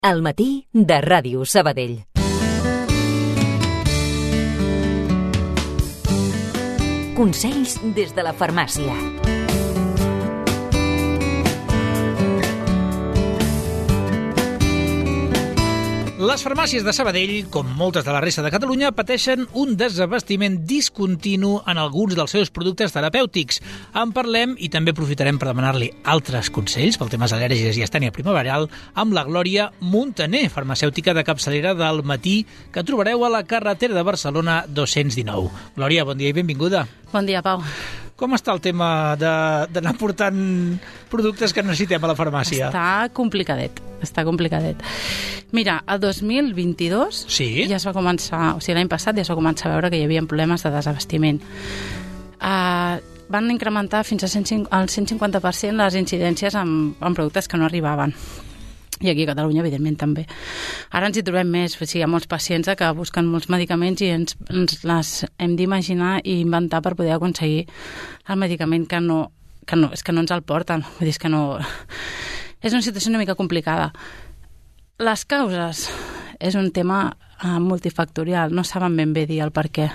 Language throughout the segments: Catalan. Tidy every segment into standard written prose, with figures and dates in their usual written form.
Al matí de Ràdio Sabadell. Consells des de la farmàcia. Les farmàcies de Sabadell, com moltes de la resta de Catalunya, pateixen un desabastiment discontinu en alguns dels seus productes terapèutics. En parlem i també aprofitarem per demanar-li altres consells pel temes al·lèrgies i estènia primaveral amb la Glòria Muntaner, farmacèutica de capçalera del Matí, que trobareu a la carretera de Barcelona 219. Glòria, bon dia i benvinguda. Bon dia, Pau. Com està el tema d'anar portant productes que necessitem a la farmàcia? Està complicadet. Mira, el 2022 ja es va començar, o sigui, l'any passat ja es va començar a veure que hi havia problemes de desabastiment. Van incrementar fins al 150% les incidències en productes que no arribaven. I aquí a Catalunya, evidentment, també. Ara ens hi trobem més, o sigui, hi ha molts pacients que busquen molts medicaments i ens les hem d'imaginar i inventar per poder aconseguir el medicament que no ens el porten. Vull dir, que no... És una situació una mica complicada. Les causes és un tema multifactorial, no saben ben bé dir el per què.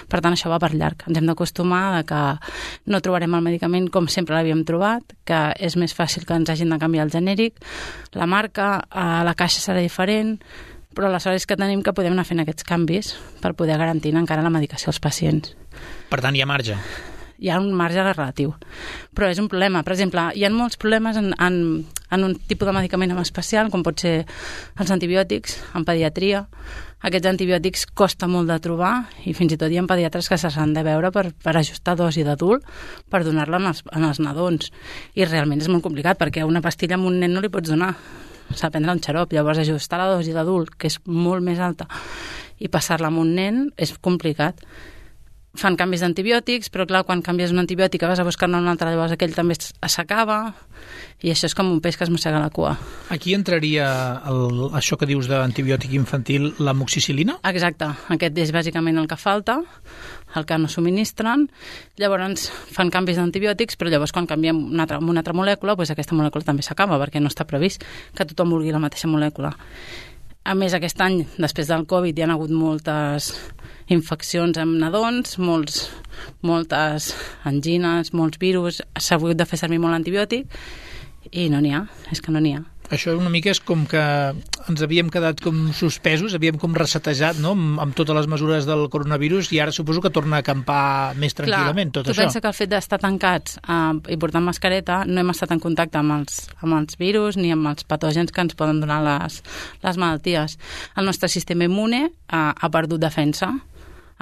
Per tant, això va per llarg. Ens hem d'acostumar que no trobarem el medicament com sempre l'havíem trobat, que és més fàcil que ens hagin de canviar el genèric, la marca, la caixa serà diferent, però aleshores és que tenim que podem anar fent aquests canvis per poder garantir encara la medicació als pacients. Per tant, hi ha marge. Hi ha un marge relatiu, però és un problema. Per exemple, hi ha molts problemes en un tipus de medicament en especial, com pot ser els antibiòtics, en pediatria. Aquests antibiòtics costa molt de trobar i fins i tot hi ha pediatres que s'han de veure per ajustar dosi d'adult per donar-la en els nadons. I realment és molt complicat perquè una pastilla a un nen no li pots donar. S'ha de prendre un xarop, llavors ajustar la dosi d'adult, que és molt més alta, i passar-la a un nen és complicat. Fan canvis d'antibiòtics, però clar, quan canvies un antibiòtic vas a buscar-ne un altre, llavors aquell també s'acaba, i això és com un peix que es mossega la cua. Aquí entraria això que dius d'antibiòtic infantil, l'amoxicil·lina? Exacte, aquest és bàsicament el que falta, el que no subministren, llavors fan canvis d'antibiòtics, però llavors quan canviem una altra molècula, doncs aquesta molècula també s'acaba, perquè no està previst que tothom vulgui la mateixa molècula. A més, aquest any, després del Covid, hi ha hagut moltes infeccions amb nadons, moltes angines, molts virus, s'ha hagut de fer servir molt antibiòtic i no n'hi ha, és que no n'hi ha. Això una mica és com que ens havíem quedat com suspesos, havíem com resetejat, no?, amb totes les mesures del coronavirus i ara suposo que torna a acampar més tranquil·lament tot això. Tu pensa que el fet d'estar tancats i portant mascareta no hem estat en contacte amb els virus ni amb els patògens que ens poden donar les malalties. El nostre sistema immune ha perdut defensa,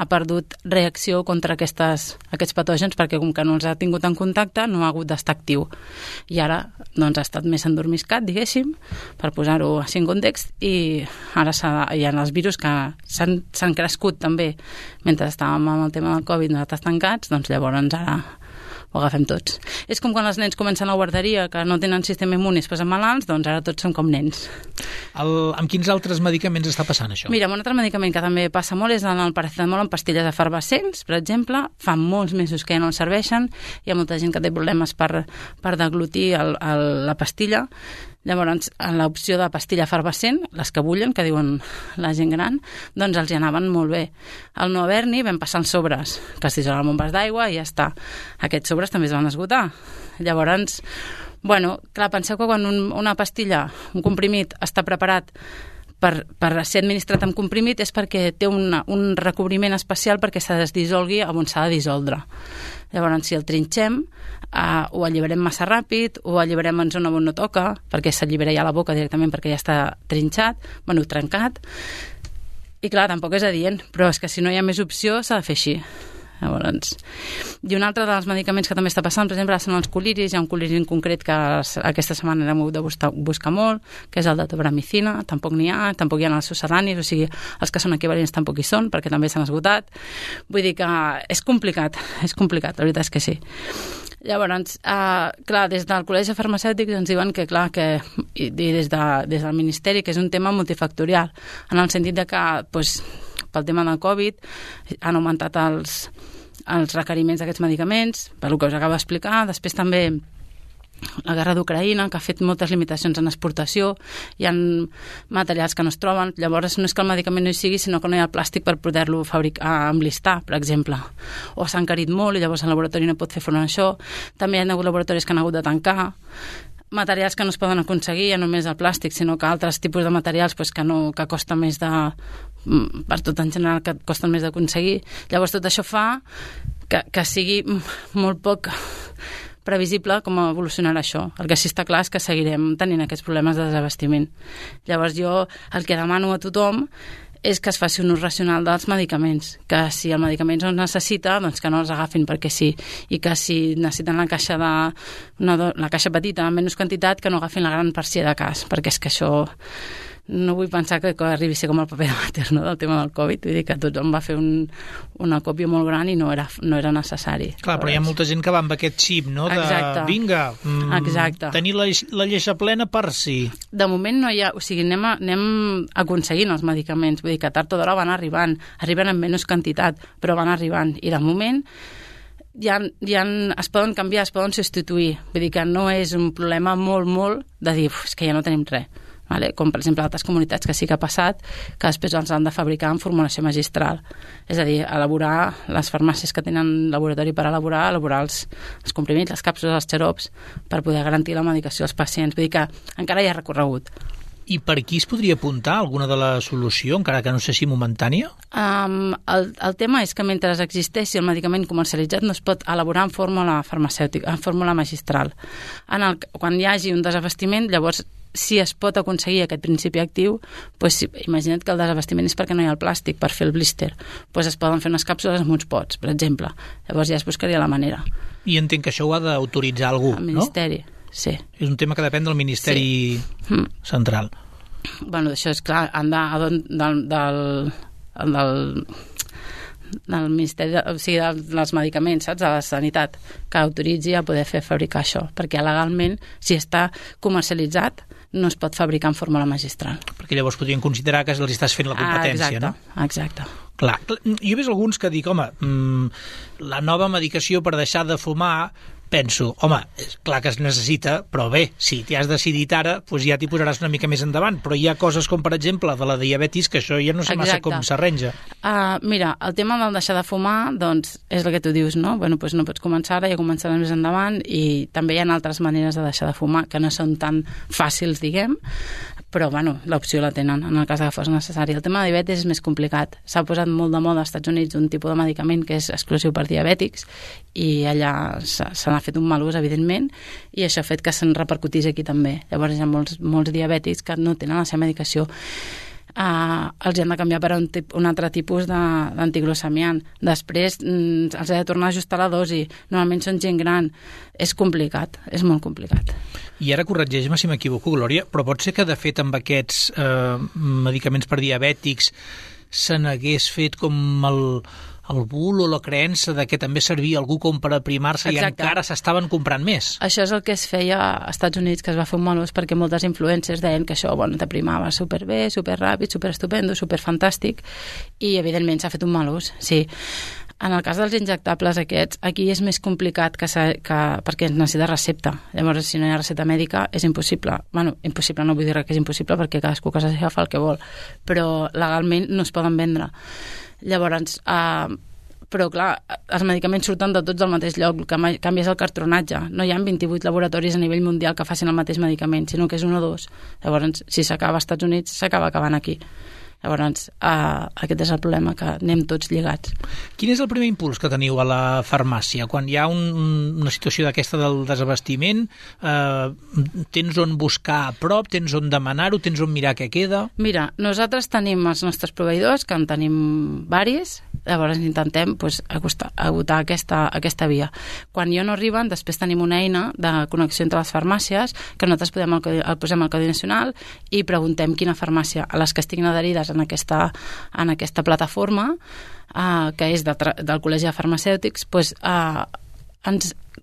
ha perdut reacció contra aquests patògens perquè com que no els ha tingut en contacte no ha hagut d'estar actiu. I ara doncs, ha estat més endormiscat, diguéssim, per posar-ho així en context, i ara hi ha els virus que s'han crescut també mentre estàvem amb el tema del Covid nosaltres tancats, doncs llavors ara ho agafem tots. És com quan els nens comencen a la guarderia que no tenen sistema immune i es posen malalts, doncs ara tots som com nens. Amb quins altres medicaments està passant això? Mira, un altre medicament que també passa molt és el paracetamol en pastilles efervescents, per exemple. Fa molts mesos que ja no els serveixen. Hi ha molta gent que té problemes per deglutir la pastilla. Llavors, en l'opció de pastilla efervescent, les que bullen, que diuen la gent gran, doncs els hi anaven molt bé. Al no haver-n'hi vam passar els sobres, que es dissolen amb un vas d'aigua i ja està. Aquests sobres també es van esgotar. Llavors, clar, penseu que quan una pastilla, un comprimit, està preparat per ser administrat amb comprimit és perquè té un recobriment especial perquè se desdissolgui on s'ha de dissoldre. Llavors, si el trinxem, o alliberem massa ràpid, o alliberem en zona on no toca, perquè s'allibera ja la boca directament perquè ja està trinxat, trencat. I clar, tampoc és adient, però és que si no hi ha més opció s'ha de fer així. Llavors, i un altre dels medicaments que també està passant, per exemple, són els coliris. Hi ha un coliri en concret que aquesta setmana hem hagut de buscar molt, que és el de tobramicina. Tampoc n'hi ha, tampoc hi ha els succedanis, o sigui, els que són equivalents tampoc hi són, perquè també s'han esgotat. Vull dir que és complicat, la veritat és que sí. Llavors, clar, des del Col·legi Farmacèutic ens diuen que, clar, i des del Ministeri, que és un tema multifactorial, en el sentit de que, pel tema del Covid, han augmentat els requeriments d'aquests medicaments, per el que us acabo d'explicar. Després també la guerra d'Ucraïna, que ha fet moltes limitacions en exportació, hi ha materials que no es troben, llavors no és que el medicament no hi sigui, sinó que no hi ha el plàstic per poder-lo emblistar, per exemple. O s'ha encarit molt i llavors el laboratori no pot fer front a això. També hi ha hagut laboratoris que han hagut de tancar, materials que no es poden aconseguir, ja només el plàstic, sinó que altres tipus de materials que costen més per tot en general, que costen més d'aconseguir. Llavors tot això fa que sigui molt poc previsible com evolucionarà això. El que sí està clar és que seguirem tenint aquests problemes de desabastiment. Llavors jo el que demano a tothom és que es faci un ús racional dels medicaments, que si el medicament no es necessita, doncs que no els agafin perquè sí, i que si necessiten la caixa petita en menys quantitat, que no agafin la gran per si de cas, perquè és que això no vull pensar que arribi a ser com el paper de vàter, no?, del tema del Covid. Vull dir que tothom va fer una còpia molt gran i no era necessari. Clar, però hi ha molta gent que va amb aquest xip, no?, de vinga, tenir la lleixa plena per si. De moment no hi ha... O sigui, anem aconseguint els medicaments. Vull dir que tard o d'hora van arriben en menys quantitat, però van arribant. I de moment es poden canviar, es poden substituir. Vull dir que no és un problema molt de dir, és que ja no tenim res. Vale? Com per exemple altres comunitats que sí que ha passat, que després els han de fabricar en formulació magistral, és a dir, elaborar les farmàcies que tenen laboratori per elaborar els comprimits, les càpsules, els xarops, per poder garantir la medicació als pacients. Vull dir que encara hi ha recorregut. I per aquí es podria apuntar alguna de la solució, encara que no sé si momentània? El tema és que mentre existeixi el medicament comercialitzat no es pot elaborar en fórmula farmacèutica, en fórmula magistral. Quan hi hagi un desabastiment, llavors si es pot aconseguir aquest principi actiu, doncs imagina't que el desabastiment és perquè no hi ha el plàstic per fer el blister. Doncs es poden fer unes càpsules amb uns pots, per exemple. Llavors ja es buscaria la manera. I entenc que això ho ha d'autoritzar algú, no? El Ministeri, sí. És un tema que depèn del Ministeri central. Bueno, això és clar, del Ministeri, o sigui, dels medicaments, saps? De la Sanitat, que autoritzi a poder fabricar això, perquè legalment, si està comercialitzat, no es pot fabricar en fórmula magistral. Perquè llavors podrien considerar que els estàs fent la competència, no? Exacte. Clar, jo he vist alguns que dic, home, la nova medicació per deixar de fumar, penso, home, és clar que es necessita, però bé, si t'hi has decidit ara, doncs ja t'hi posaràs una mica més endavant, però hi ha coses com, per exemple, de la diabetis, que això ja no sé massa com s'arrenja. Mira, el tema del deixar de fumar, doncs, és el que tu dius, no? Bueno, doncs no pots començar ara, ja començaràs més endavant, i també hi ha altres maneres de deixar de fumar, que no són tan fàcils, diguem, però, bueno, l'opció la tenen, en el cas que fos necessari. El tema de diabetis és més complicat. S'ha posat molt de moda als Estats Units un tipus de medicament que és exclusiu per diabètics, i allà se n'ha fet un mal ús, evidentment, i això ha fet que se'n repercutís aquí també. Llavors hi ha molts diabètics que no tenen la seva medicació. Els han de canviar per un altre tipus d'antiglucemiant. Després els ha de tornar a ajustar la dosi. Normalment són gent gran. És complicat, és molt complicat. I ara corregeix-me si m'equivoco, Glòria, però pot ser que de fet amb aquests medicaments per diabètics se n'hagués fet com el bulo o la creença de que també servia algú com per aprimar-se. Exacte. I encara s'estaven comprant més. Això és el que es feia als Estats Units, que es va fer un mal ús perquè moltes influencers deien que això t'aprimava superbé, superràpid, superestupendo, superfantàstic, i evidentment s'ha fet un mal ús, sí. En el cas dels injectables aquests, aquí és més complicat perquè es necessita recepta. Llavors, si no hi ha recepta mèdica, és impossible. Bueno, impossible no vull dir que és impossible perquè cadascú a casa seva fa el que vol, però legalment no es poden vendre. Llavors, però clar, els medicaments surten de tots del mateix lloc, el que canvia és el cartronatge. No hi ha 28 laboratoris a nivell mundial que facin el mateix medicament, sinó que és 1 o 2. Llavors, si s'acaba als Estats Units, s'acaba acabant aquí. Llavors, aquest és el problema, que anem tots lligats. Quin és el primer impuls que teniu a la farmàcia? Quan hi ha una situació d'aquesta del desabastiment, tens on buscar a prop, tens on demanar-ho, tens on mirar què queda? Mira, nosaltres tenim els nostres proveïdors, que en tenim varis, llavors intentem agotar aquesta via. Quan ja no arriben, després tenim una eina de connexió entre les farmàcies, que nosaltres posem al Codi Nacional i preguntem quina farmàcia, a les que estiguin adherides en aquesta plataforma, que és del Col·legi de Farmacèutics,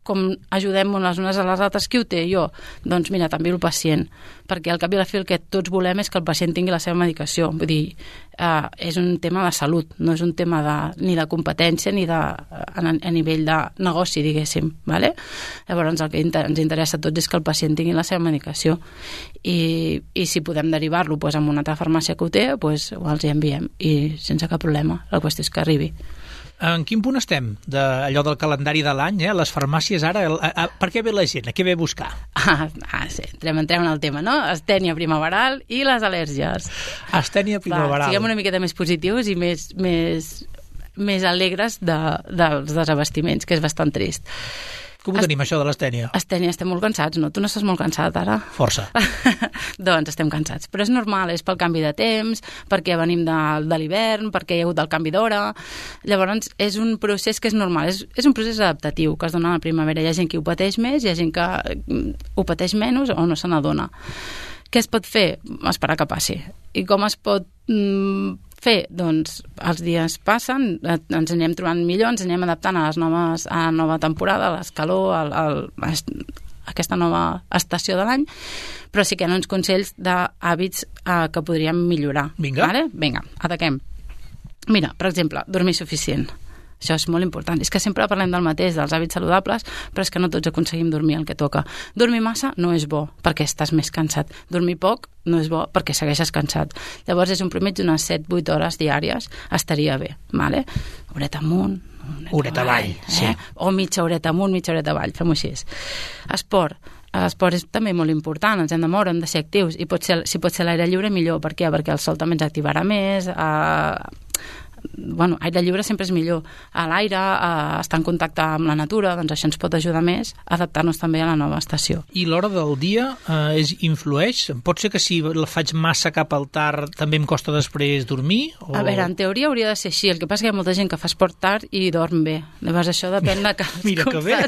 com ajudem les unes a les altres, qui ho té? Jo. Doncs mira, també el pacient, perquè al cap i a la fi el que tots volem és que el pacient tingui la seva medicació. Vull dir, és un tema de salut, no és un tema ni de competència ni a nivell de negoci, diguéssim. Vale? Llavors el que ens interessa a tots és que el pacient tingui la seva medicació i si podem derivar-lo a una altra farmàcia que ho té, els hi enviem i sense cap problema. La qüestió és que arribi. En quin punt estem d'allò del calendari de l'any? Les farmàcies ara, per què ve la gent? A què ve a buscar? Sí, entrem en el tema, no? Astènia primaveral i les al·lèrgies. Astènia primaveral. Siguem una miqueta més positius i més alegres dels desabastiments, que és bastant trist. Com ho tenim, això de l'astènia? Astènia, estem molt cansats, no? Tu no estàs molt cansat, ara? Força. Doncs estem cansats. Però és normal, és pel canvi de temps, perquè venim de l'hivern, perquè hi ha hagut el canvi d'hora. Llavors, és un procés que és normal, és un procés adaptatiu que es dona a la primavera. Hi ha gent que ho pateix més, hi ha gent que ho pateix menys o no se n'adona. Què es pot fer? Esperar que passi. I com es pot fer? Doncs els dies passen, ens anem trobant millor, ens anem adaptant a la nova temporada, a l'escalor, aquesta nova estació de l'any, però sí que hi ha uns consells d'hàbits que podríem millorar. Vinga. Vale? Vinga, ataquem. Mira, per exemple, dormir suficient. Això és molt important. És que sempre parlem del mateix, dels hàbits saludables, però és que no tots aconseguim dormir el que toca. Dormir massa no és bo, perquè estàs més cansat. Dormir poc no és bo, perquè segueixes cansat. Llavors és un promès d'unes 7-8 hores diàries, estaria bé. Vale? Horeta amunt, horeta avall, sí. O mitja horeta amunt, mitja horeta avall, fem-ho així. Esport. L'esport és també molt important, ens hem de moure, hem de ser actius, i si pot ser l'aire lliure, millor. Per què? Perquè el sol també ens activarà més, aire lliure sempre és millor. A l'aire, estar en contacte amb la natura, doncs això ens pot ajudar més a adaptar-nos també a la nova estació. I l'hora del dia influeix? Pot ser que si la faig massa cap al tard també em costa després dormir? O... A veure, en teoria hauria de ser així. El que passa és que hi ha molta gent que fa esport tard i dorm bé. Llavors això depèn de cadascú. Mira que bé!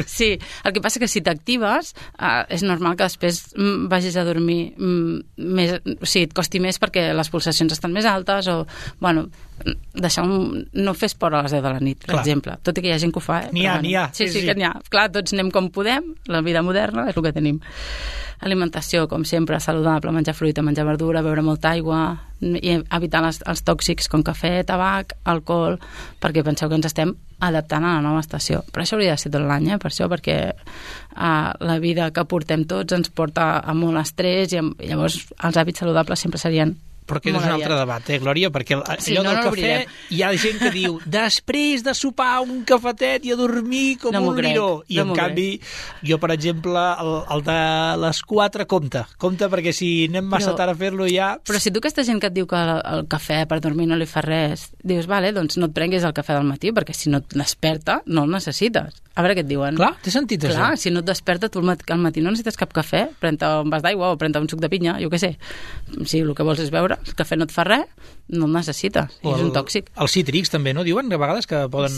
Sí, el que passa és que si t'actives és normal que després vagis a dormir més, o sigui, et costi més perquè les pulsacions estan més altes o, no fer esport a les 10 de la nit, per exemple. Tot i que hi ha gent que ho fa. N'hi ha. Sí, que n'hi ha. Clar, tots anem com podem, la vida moderna és el que tenim. Alimentació, com sempre, saludable, menjar fruita, menjar verdura, beure molta aigua i evitar els tòxics com cafè, tabac, alcohol, perquè penseu que ens estem adaptant a la nova estació. Però això hauria de ser tot l'any, per això, perquè la vida que portem tots ens porta a molt estrès i llavors els hàbits saludables sempre serien Però aquest és un altre debat, Glòria? Perquè allò del cafè, hi ha gent que diu després de sopar un cafetet i a dormir com un liró. I en canvi, jo, per exemple, el de les 4 compta perquè si anem massa tard a fer-lo ja... Però si tu aquesta gent que et diu que el cafè per dormir no li fa res, dius, vale, doncs no et prenguis el cafè del matí, perquè si no et desperta, no el necessites. A veure què et diuen. Clar, té sentit això. Clar, si no et desperta, tu al matí no necessites cap cafè, pren-te un vas d'aigua o pren-te un suc de pinya, jo què sé. Si el que vols és beure, el cafè no et fa res, no el necessites, és un tòxic. Els cítrics també, no? Diuen a vegades que poden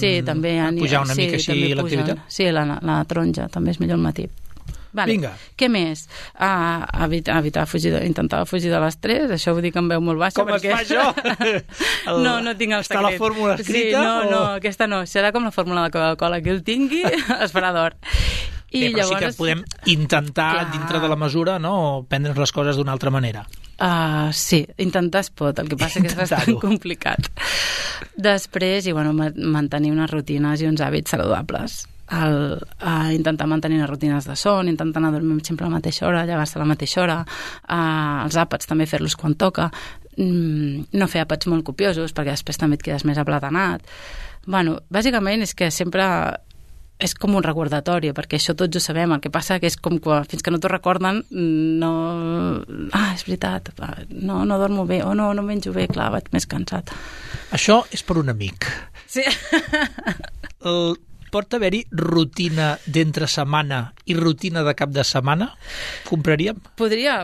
pujar una mica així l'activitat? Sí, la taronja també és millor al matí. Vale. Vinga. Què més? Intentar fugir de l'estrès, això ho dic en veu molt baixa. Com perquè... es fa això? No tinc el secret. Està la fórmula escrita? Sí, no, aquesta no. Serà com la fórmula de Coca-Cola, que el tingui, es farà d'or. Però llavors... sí que podem intentar, dintre de la mesura, no, prendre les coses d'una altra manera. Sí, intentar es pot, el que passa que és bastant complicat. Després, mantenir unes rutines i uns hàbits saludables. Intentar mantenir unes rutines de son, intentar anar a dormir sempre a la mateixa hora, llevar-se a la mateixa hora, els àpats també fer-los quan toca, no fer àpats molt copiosos perquè després també et quedes més aplatanat. Bàsicament és que sempre és com un recordatori, perquè això tots ho sabem, el que passa que és com que fins que no t'ho recorden no... és veritat, no dormo bé, o no menjo bé, clar, vaig més cansat. Això és per un amic. Sí. Pot haver-hi rutina d'entre setmana i rutina de cap de setmana? Compraríem? Podria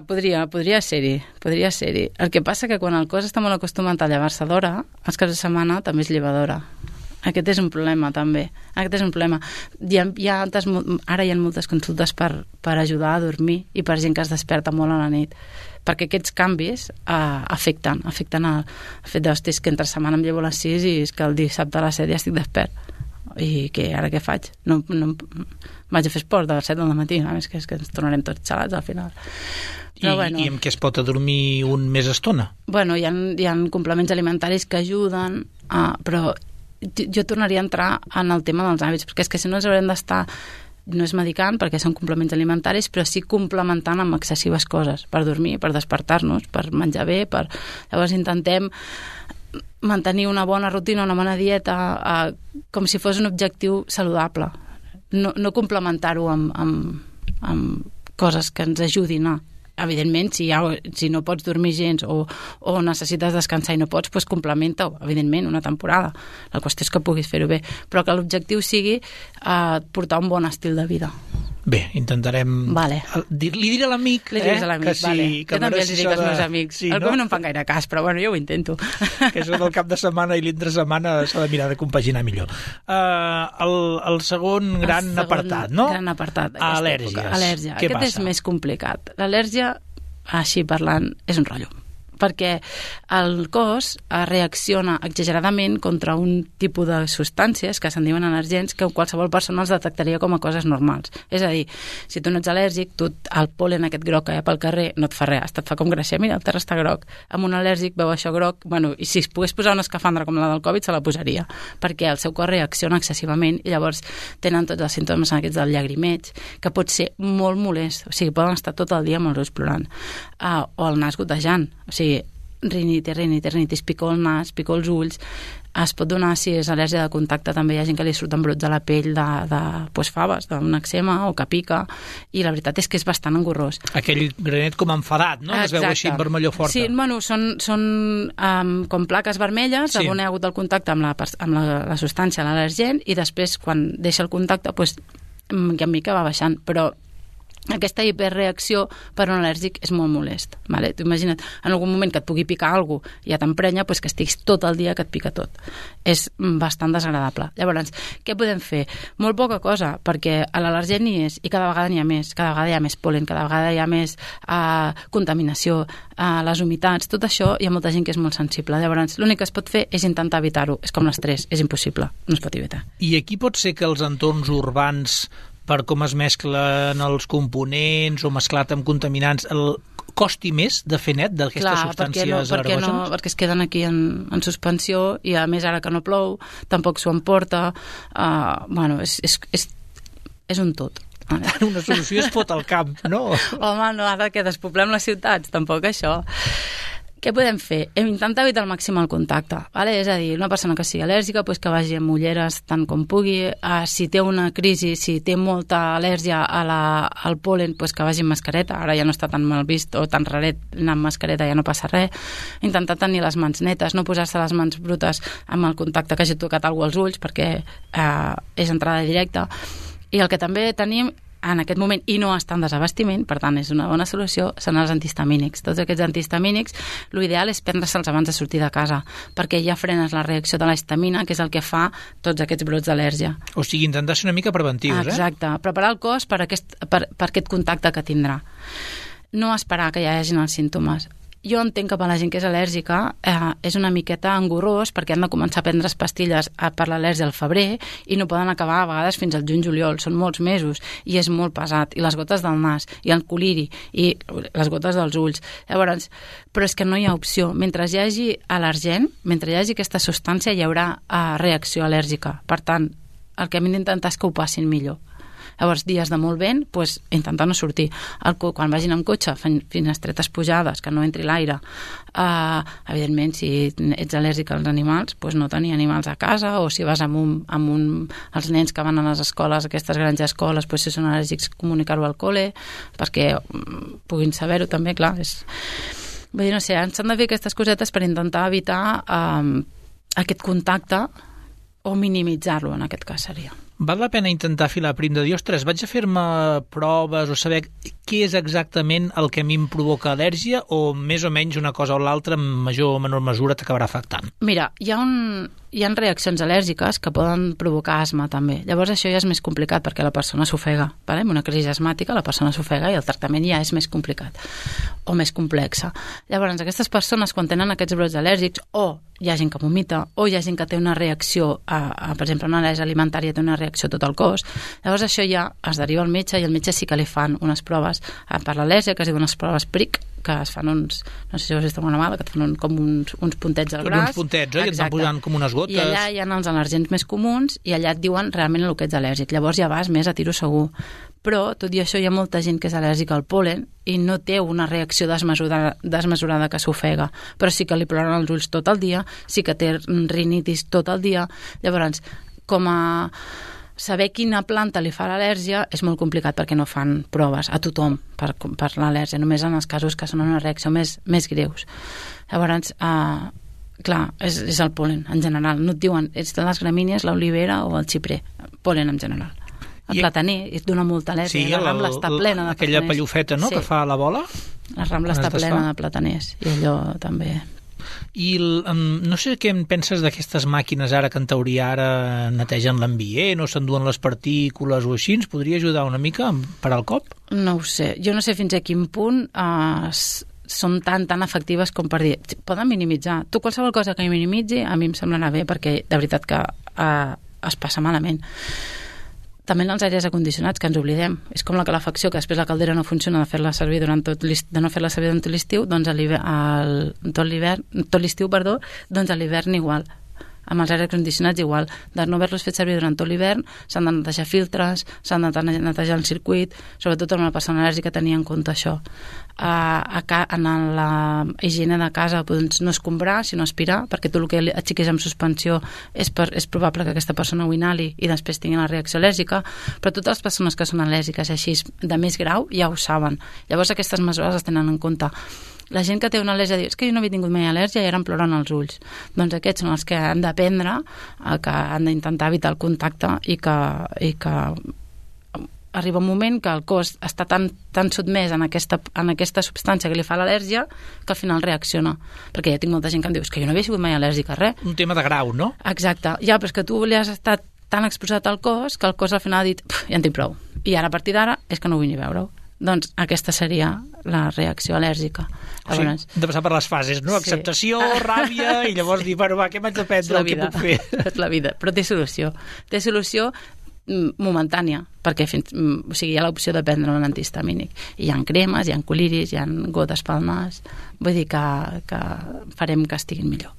ser-hi. El que passa que quan el cos està molt acostumat a llevar-se d'hora, els caps de setmana també és llevadora. Aquest és un problema, també. Ara hi ha moltes consultes per ajudar a dormir i per gent que es desperta molt a la nit. Perquè aquests canvis afecten el fet d'hòsties que entre setmana em llevo a les 6 i és que el dissabte a les 7 ja estic despert. i ara què faig? No vaig a fer esport de les 7 del matí, és que ens tornarem tots xalats al final. Però, I amb què es pot adormir un més estona? Bueno, hi ha complements alimentaris que ajuden, però jo tornaria a entrar en el tema dels hàbits, perquè és que si no ens haurem d'estar, no és medicant perquè són complements alimentaris, però sí complementant amb excessives coses, per dormir, per despertar-nos, per menjar bé, llavors intentem mantenir una bona rutina, una bona dieta, com si fos un objectiu saludable. No complementar-ho amb coses que ens ajudin a... Evidentment, si no pots dormir gens o necessites descansar i no pots, doncs complementa-ho, evidentment, una temporada. La qüestió és que puguis fer-ho bé, però que l'objectiu sigui portar un bon estil de vida. Bé, intentarem... Vale. Li diré a l'amic, Li diràs a l'amic, que sí, vale. que jo també els dic als meus amics. Sí, no em fan gaire cas, però bueno, jo ho intento. Que això del cap de setmana i l'entre setmana s'ha de mirar de compaginar millor. El segon gran apartat, no? Gran apartat. Al·lèrgies. Al·lèrgia. Què Aquest passa? és més complicat. L'al·lèrgia, així parlant, és un rotllo, perquè el cos reacciona exageradament contra un tipus de substàncies que se'n diuen al·lèrgens que qualsevol persona els detectaria com a coses normals. És a dir, si tu no ets al·lèrgic, el pol·len aquest groc que hi ha pel carrer no et fa res, et fa com gràcia, mira, el terra està groc. Amb un al·lèrgic veu això groc, bueno, i si es pogués posar una escafandra com la del Covid se la posaria, perquè el seu cos reacciona excessivament i llavors tenen tots els símptomes aquests del llagrimeig, que pot ser molt molest, o sigui, poden estar tot el dia amb els ulls plorant, o el nas gotejant, o sigui, rinitis, picor el nas, picor els ulls. Es pot donar, si és al·lèrgia de contacte, també hi ha gent que li surten brots a la pell de faves, d'un eczema o que pica, i la veritat és que és bastant engorrós. Aquell granet com enfadat, no? Exacte. Es veu així en vermellor forta. Sí, bueno, són com plaques vermelles, sí. On hi ha hagut el contacte amb la substància, l'al·lergen, i després, quan deixa el contacte, doncs, mica en mica va baixant, però aquesta hiperreacció per un al·lèrgic és molt molest. Vale? Tu imagina't, en algun moment que et pugui picar alguna cosa i ja t'emprenya, doncs que estiguis tot el dia que et pica tot. És bastant desagradable. Llavors, què podem fer? Molt poca cosa, perquè l'al·lèrgen hi és i cada vegada n'hi ha més. Cada vegada hi ha més pol·len, cada vegada hi ha més contaminació, les humitats, tot això hi ha molta gent que és molt sensible. Llavors, l'únic que es pot fer és intentar evitar-ho. És com l'estrès, és impossible, no es pot evitar. I aquí pot ser que els entorns urbans, per com es mesclen els components o mesclat amb contaminants, costi més de fer net d'aquestes substàncies alergògenes? Perquè es queden aquí en suspensió i a més ara que no plou tampoc s'ho emporta. Bueno, és un tot. Una solució és fot al camp, no? Home, no, ara que despoblem les ciutats, tampoc això. Què podem fer? Hem d'intentar evitar al màxim el contacte, vale? És a dir, una persona que sigui al·lèrgica doncs que vagi amb ulleres tant com pugui, si té una crisi, si té molta al·lèrgia al pol·len, doncs que vagi amb mascareta, ara ja no està tan mal vist o tan raret anar amb mascareta, ja no passa res. Intentar tenir les mans netes, no posar-se les mans brutes amb el contacte que hagi tocat algú als ulls, perquè és entrada directa. I el que també tenim en aquest moment, i no està en desabastiment, per tant és una bona solució, són els antihistamínics. Tots aquests antihistamínics, l'ideal és prendre-se'ls abans de sortir de casa, perquè ja frenes la reacció de la histamina, que és el que fa tots aquests brots d'al·lèrgia. O sigui, intentar ser una mica preventius, Exacte, preparar el cos per aquest contacte que tindrà. No esperar que ja hi hagin els símptomes. Jo entenc que per la gent que és al·lèrgica és una miqueta engorrós perquè han de començar a prendre pastilles per l'al·lèrgia al febrer i no poden acabar a vegades fins al juny-juliol, són molts mesos i és molt pesat, i les gotes del nas i el coliri i les gotes dels ulls. Llavors, però és que no hi ha opció. Mentre hi hagi al·lergen, mentre hi hagi aquesta substància hi haurà reacció al·lèrgica. Per tant, el que hem d'intentar és que ho passin millor. Llavors, dies de molt vent, doncs, intentar no sortir. Quan vagin amb cotxe, fent finestretes pujades, que no entri l'aire. Evidentment, si ets al·lèrgic als animals, doncs no tenir animals a casa, o si vas amb els nens que van a les escoles, aquestes grans escoles, doncs, si són al·lèrgics, comunicar-ho al col·le, perquè puguin saber-ho també, clar. Vull dir, no sé, s'han de fer aquestes cosetes per intentar evitar aquest contacte o minimitzar-lo, en aquest cas seria. Val la pena intentar filar prim de dir, ostres, vaig a fer-me proves o saber què és exactament el que a mi em provoca al·lèrgia o més o menys una cosa o l'altra en major o menor mesura t'acabarà afectant? Mira, hi ha reaccions al·lèrgiques que poden provocar asma també. Llavors això ja és més complicat perquè la persona s'ofega. Vale? Amb una crisi asmàtica la persona s'ofega i el tractament ja és més complicat o més complexa. Llavors aquestes persones quan tenen aquests brots al·lèrgics o hi ha gent que vomita o hi ha gent que té una reacció per exemple, una al·lèrgia alimentària té una reacció a tot el cos, llavors això ja es deriva al metge i el metge sí que li fan unes proves per l'al·lèrgia, que es diuen unes proves PRIC, que es fan uns, no sé si ho has vist alguna vegada, que et fan com uns puntets al braç. Uns puntets, oi? Et van posant com unes gotes. I allà hi ha els al·lèrgens més comuns i allà et diuen realment el que ets al·lèrgic. Llavors ja vas més a tiro segur. Però, tot i això, hi ha molta gent que és al·lèrgica al pol·len i no té una reacció desmesurada que s'ofega, però sí que li ploren els ulls tot el dia, sí que té rinitis tot el dia. Llavors, com a saber quina planta li fa l'al·lèrgia és molt complicat perquè no fan proves a tothom per l'al·lèrgia, només en els casos que són una reacció més greus. Llavors, clar, és el pol·len en general. No et diuen, ets de les gramínies, l'olivera o el xiprer. Pol·len en general. El plataner et dona molta al·lèrgia. Sí, la Rambla està plena de plataners. Aquella pallofeta, no?, sí, que fa la bola. La Rambla està plena de plataners i allò també. I no sé què en penses d'aquestes màquines ara que en teoria ara netegen l'ambient o s'enduen les partícules o així, ens podria ajudar una mica per al cop? No ho sé, jo no sé fins a quin punt són tan efectives com per dir, poden minimitzar. Tu qualsevol cosa que minimitzi a mi em semblarà bé perquè de veritat que es passa malament. També en els aires acondicionats, que ens oblidem. És com la calefacció, que després la caldera no funciona de fer-la servir durant tot l'estiu, doncs tot l'estiu, doncs a l'hivern igual. Amb els aires acondicionats igual, de no haver-los fet servir durant tot l'hivern, s'han de netejar filtres, s'han de netejar el circuit, sobretot amb la persona al·lèrgica tenir en compte això. En la higiene de casa doncs, no escombrar, sinó aspirar, perquè tu el que aixequis amb suspensió és probable que aquesta persona ho inhali i després tingui la reacció al·lèrgica, però totes les persones que són al·lèrgiques així de més grau ja ho saben. Llavors aquestes mesures es tenen en compte. La gent que té una al·lèrgia diu, és que jo no havia tingut mai al·lèrgia i ara em ploren els ulls. Doncs aquests són els que han d'aprendre, que han d'intentar evitar el contacte i que arriba un moment que el cos està tan sotmès en aquesta substància que li fa l'al·lèrgia que al final reacciona. Perquè ja tinc molta gent que em diu, és que jo no havia sigut mai al·lèrgica a res. Un tema de grau, no? Exacte. Ja, però és que tu li has estat tan exposat al cos que el cos al final ha dit, ja en tinc prou. I ara a partir d'ara és que no vull ni veure-ho. Doncs aquesta seria la reacció al·lèrgica. O sigui, hem de passar per les fases, no? Sí. Acceptació, ràbia, i llavors dir, bueno, va, què m'haig de prendre, què puc fer? És la vida, però té solució. Té solució momentània, perquè hi ha l'opció de prendre un antihistamínic. I hi ha cremes, hi ha coliris, hi ha gotes pel nas, vull dir que farem que estiguin millor.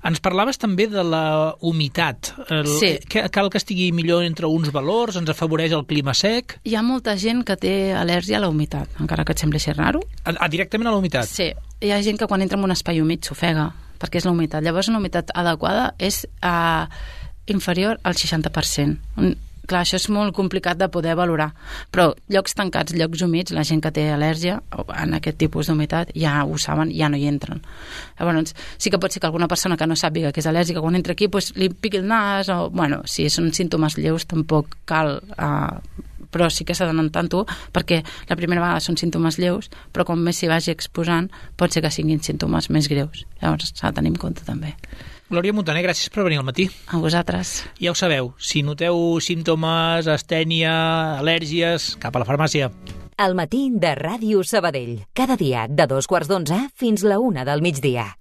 Ens parlaves també de la humitat. Sí. Cal que estigui millor entre uns valors, ens afavoreix el clima sec? Hi ha molta gent que té al·lèrgia a la humitat, encara que et sembli ser raro. Directament a la humitat? Sí. Hi ha gent que quan entra en un espai humit s'ofega, perquè és la humitat. Llavors una humitat adequada és inferior al 60%. Clar, això és molt complicat de poder valorar, però llocs tancats, llocs humits, la gent que té al·lèrgia en aquest tipus d'humitat ja ho saben, ja no hi entren. Llavors, sí que pot ser que alguna persona que no sàpiga que és al·lèrgica, quan entra aquí pues, li piqui el nas, o, bueno, si són símptomes lleus tampoc cal, però sí que s'ha d'anar tant-ho, perquè la primera vegada són símptomes lleus, però com més s'hi vagi exposant, pot ser que siguin símptomes més greus. Llavors s'ha de tenir en compte també. Glòria Montaner, gràcies per venir al matí. A vosaltres. Ja ho sabeu, si noteu símptomes, astènia, al·lèrgies, cap a la farmàcia. Al matí de Ràdio Sabadell. Cada dia de 2:15 fins la 1 del migdia.